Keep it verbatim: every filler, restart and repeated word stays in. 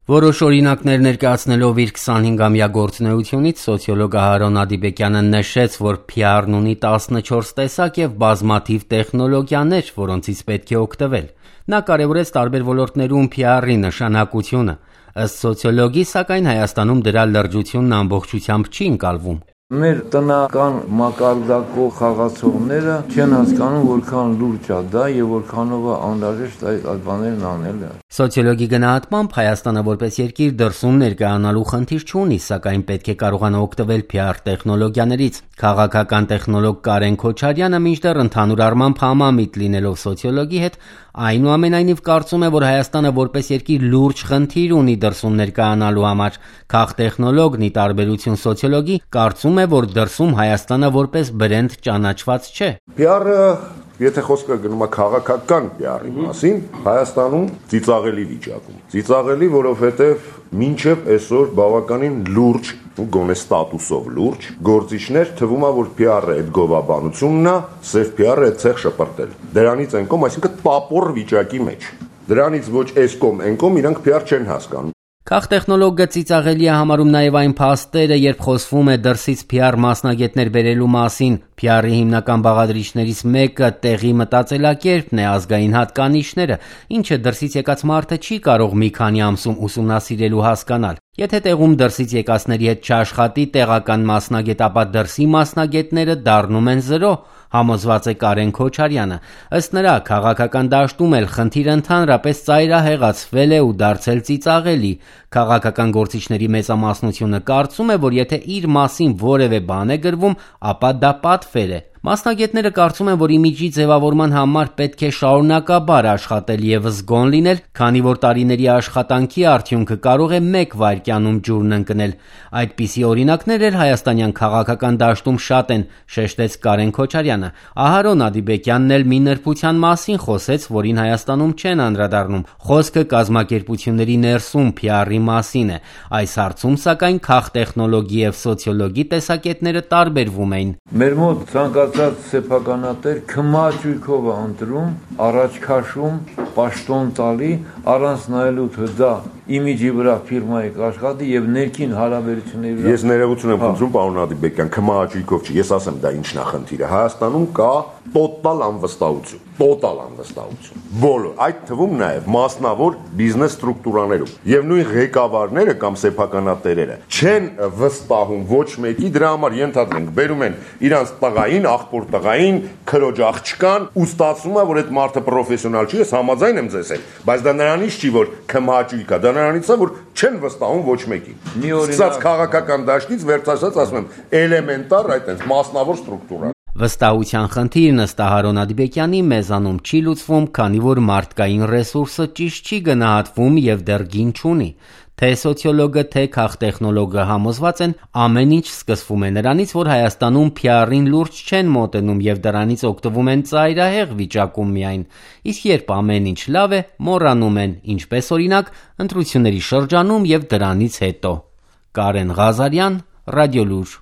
Որոշ օրինակներ ներկայացնելով իր քսանհինգամյա գործունեությունից սոցիոլոգ Ահարոն Ադիբեկյանը նշեց, որ փի ար-ն ունի տասնչորս տեսակ եւ բազմաթիվ տեխնոլոգիաներ, որոնցից պետք է օգտվել։ Նա կարևորեց տարբեր ոլորտներում փի ար-ի նշանակությունը։ Ըստ սոցիոլոգի, սակայն Հայաստանում դրա լրջությունն ամբողջությամբ չի ընկալվում։ Մեր տնական մակարդակով խաղացողները չեն հասկանում, որքան լուրջ է դա եւ որքանով է անհրաժեշտ այդ բաներն անելը։ Սոցիոլոգի գնահատմամբ Հայաստանը որպես երկիր դրսում ներկայանալու խնդիր չունի, սակայն պետք է կարողանա օգտվել փի ար տեխնոլոգիաներից։ Քաղաքական տեխնոլոգ Կարեն Քոչարյանը մինչդեռ ընդհանուր առմամբ համամիտ լինելով սոցիոլոգի հետ, այնուամենայնիվ կարծում է, որ Հայաստանը որպես երկիր լուրջ խնդիր ունի դրսում ներկայանալու համար։ Քաղտեխնոլոգն ի տարբերություն սոցիոլոգի կարծում է, որ դրսում Հայաստանը որպես բրենդ ճանաչված չէ։ Փի ար-ը, եթե խոսքը գնում է քաղաքական փի ար-ի մասին, Հայաստանում ծիծաղելի վիճակում։ Ծիծաղելի, որովհետև մինչև այսօր բավականին լուրջ, գոնե ստատուսով լուրջ գործիչներ թվում է, որ փի ար-ը այդ գովաբանությունն է, սև փի ար-ը այդ ցեղ շպրտել։ Դրանից են կողմ, այսինքն տապոր վիճակի մեջ։ Դրանից ոչ այս կողմ, այն կողմ իրանք փի ար չեն հասկանում։ Քաղտեխնոլոգը ծիծաղելի է համարում նաև այն փաստերը, երբ խոսվում է դրսից փի ար մասնագետներ բերելու մասին։ Փի ար-ի հիմնական բաղադրիչներից մեկը տեղի մտածելակերպն է, ազգային հատկանիշները, ինչը դրսից եկած մարդը չի կարող մի քանի ամսում ուսումնասիրել ու հասկանալ։ Եթե տեղում դրսից եկածների հետ չաշխատի տեղական մասնագետ, ապա դրսի մասնագետները դառնում են զրո, համոզված է Կարեն Քոչարյանը։ Ըստ նրա, քաղաքական դաշտում էլ խնդիրը ընդհանրապես ծայրահեղացվել է ու դարձել ծիծաղելի։ Քաղաքական գործիչների մեծամասնությունը կարծում է, որ եթե իր մասին որևէ բան է գրվում, ապա դա պատվեր է։ Մասնագետները կարծում են, որ իմիջի ձևավորման համար պետք է շարունակաբար աշխատել եւ զգոն լինել, քանի որ տարիների աշխատանքի արդյունքը կարող է մեկ վայրկյանում ջուրն ընկնել։ Այդպիսի օրինակներ էլ հայաստանյան քաղաքական դաշտում շատ են, շեշտեց Կարեն Քոչարյանը։ Ահարոն Ադիբեկյանն էլ մի նրբության մասին խոսեց, որին Հայաստանում չեն անդրադառնում։ Խոսքը կազմակերպությունների ներսում փի ար-ի մասին է։ Այս հարցում, սակայն, քաղտեխնոլոգի եւ սոցիոլոգի տեսակետները տարբերվում էին։ Մեր մոտ ցանկացած սեփականատեր քմաճույքով է ընտրում, առաջ քաշում, պաշտոն տալի, առանց նայելու թե դա իմիջի վրա ֆիրմայի կաշխատի եւ ներքին հարաբերությունների վրա։ Ես ներողություն եմ խնդրում, պարոն Ադիբեկյան, քմաճույքով չի, ես ասեմ դա ինչն է խնդիրը։ Հայաստանում կա տոտալ անվստահություն, տոտալ անվստահություն։ Բոլոր, այդ թվում նաեւ մասնավոր բիզնես ստրուկտուրաներում։ Եվ նույն ղեկավարները կամ սեփականատերերը չեն վստահում ոչ մեկի, դրա համար ենթադրենք, բերում են իրանց տղային, աղբոր տղային, քրոջ աղջկան, ու ստացվում է, որ այդ մարդը պրոֆեսիոնալ չի, ես համաձայն եմ ձեզ հետ, բայց դա նրանից չի, որ քմաճույք է, դա նրանից է, որ չեն վստահում ոչ մեկին։ Սկսած քաղաքական դաշտից վերջացած, ասում եմ, էլեմենտար այդ մասնավոր ստրուկտուրա։ Վստահության խնդիրն ըստ Ահարոն Ադիբեկյանի մեզանում չի լուծվում, քանի որ մարդկային ռեսուրսը ճիշտ չի գնահատվում եւ դեռ գին չունի։ Թե սոցիոլոգը, թե քաղտեխնոլոգը համոզված են, ամեն ինչ սկսվում է նրանից, որ Հայաստանում փի ար-ին լուրջ չեն մոտենում եւ դրանից օգտվում են ծայրահեղ վիճակում միայն։ Իսկ երբ ամեն ինչ լավ է, մոռանում են, ինչպես օրինակ, ընտրությունների շրջանում եւ դրանից հետո։ Կարեն Ղազարյան, Ռադիոլուր։